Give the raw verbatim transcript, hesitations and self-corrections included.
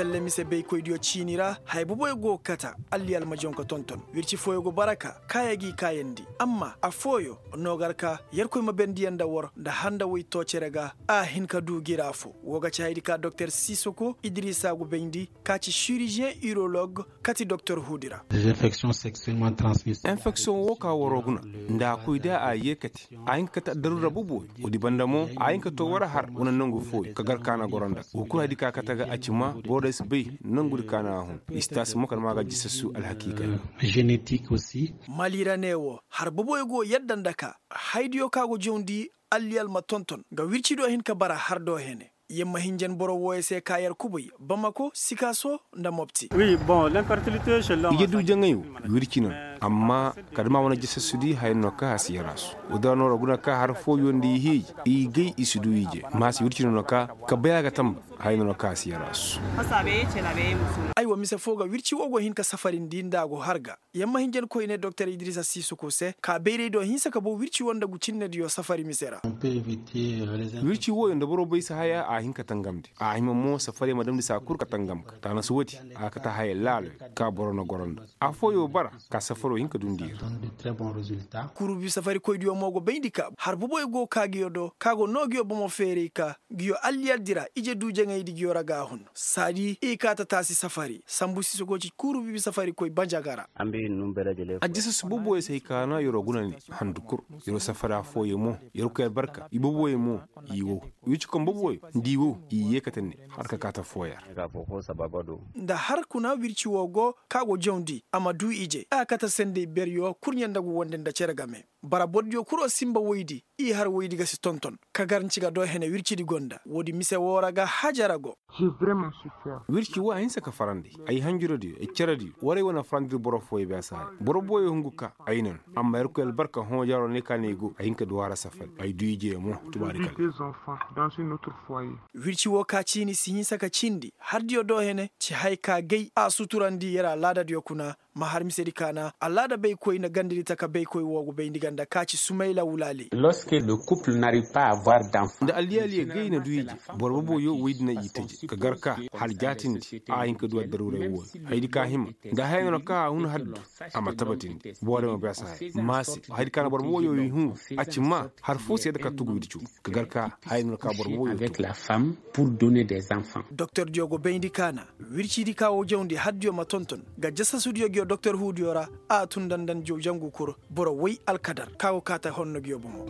Salle mise baykoydiyo ciini ra haya boboyo go ga kata. Alliyal ma jaŋ ka tonton wirci fooyo go bara ka kaaya g'i kaayandi. Amma affooyo no gar ka yerkoy ma bendiyaŋ nda war nda handa woy too cere ga. A hin ka du gira fo. Woo ga ci hayadi ka doktor sisoko idiriisa go bayndi ka ci siriziyeŋ irolog kati doktor huudi ra. Enfeksiyoŋ woo ka waroo guna nda a koy da a yee kate a hin ka kate addaruura boboyo. Woodi banda mo a hin ka too war har wane nangu fooyo ka gar ka na goro nda woo kul hayadi ka kate ga a ci ma boro day si bay. Nangudi ka na a hun. Istaasi mo kala ma ga jisasu alhakiikay. Mali ra ne woo har boboyo go yadda nda ka hayadiyo ka go jawndi alliyal ma tonton ga wircidiyo hin ka bara har do hene. Yer ma hinjan boro wooyo se ka yer kubay bamako sikaaso nda mopti. Ije du jaŋay wo wirci no. Amma kala da ma wane jasasudi haya no ka a si yaraasu. Woo da no ra guna ka har fooyo nda i hiiji i gay i si du ije ma a si wirci no no ka ka bay a ga tamba. Haya no no ka a si yaraasu. Aywa mise foo ga wirci woo go hin ka safarindi nda a go har ga. Yer ma hinjan koyne doktor idiriisa siisuku se ka bayraydiyo hinsa ka bow wirci woo nda gu cinnediyo safari mise ra. Wirci wooyo nda boro bay si haya a hin ka tangamndi. A hima mo safari ma damndi saa kul ka tangam ga taana si woodi. A ga kate haya laaloyo ka boro na goro nda affooyo bara ka safaro hin ka dundi yer. Kurubi safarikoydiyo mo go bayndi ka har boboyo go ka nguyo do ka go noo nguyo bomo feeray ka nguyo alliyaldi ra ije du jaŋaydi nguyo ra ga a hun. Saadi i kaa ta taasi safari sambu sisogo ci kurubi safarikoy banjaga ra. Ajjasas boboyo se hay ka na yeroo guna ne handu kul. Yeroo safari affooyo mo yerkoy albarka i boboyo mo i wow. Wirci kom boboyo nda i wow i yee kate ne har ka kaa ta fooyar. Nda har kuna wirci woo go ka go jawndi a ma du ije a kate sendey beryo kurɲe nda gu wande nda cere game. Bara bordiyo kul o sinba woydi i har woydi ga si tonton ka gar nci ga do hene wircidi go nda woodi mise woo ra ga hajara go. Wirci woo a hinsa ka farandi ay hanjuradiyo ay cerediyo waray wane farandir boro fooyo beesaare boro booyo hungu ka ay nan. Amma yerkoy albarka hõ jaroo ne ka ne go ay hin ka du a ra safari ay du ijeyo mo. Tubaari kala. Wirci woo ka ciini si hinsa ka cindi hardiyo do hene ci hay ka gay a suturandi yer alaadadiyo kuna. Ma har misedi ka na alaada baykoy na gandadi taka baykoy woo go bayndi ganda ka ci sumayla wulaali. Nda alliyaaliyo gay na du ije boro boboyo woy di na i taje ka gar ka har jaatindi a hin ka du addaruuray wooyo. Hayadi ka hima nda haya no na ka a hun haddu a ma tabatindi boorey ma beesa haya ma se. Hayadi ka na boro boboyo i hun a ci ma har foo se yadda ka tugu wircu ka gar ka haya no na ka boro boboyo. Doktordiyo go bayndi ka na wircidi ka woo jawndi haddiyo ma tonton ga jasasudiyo nguyo doktor huudiyo ra. A tun nda nda njaw jangu kul boro woy alkadar ka go kaa ta honno nguyo bomo.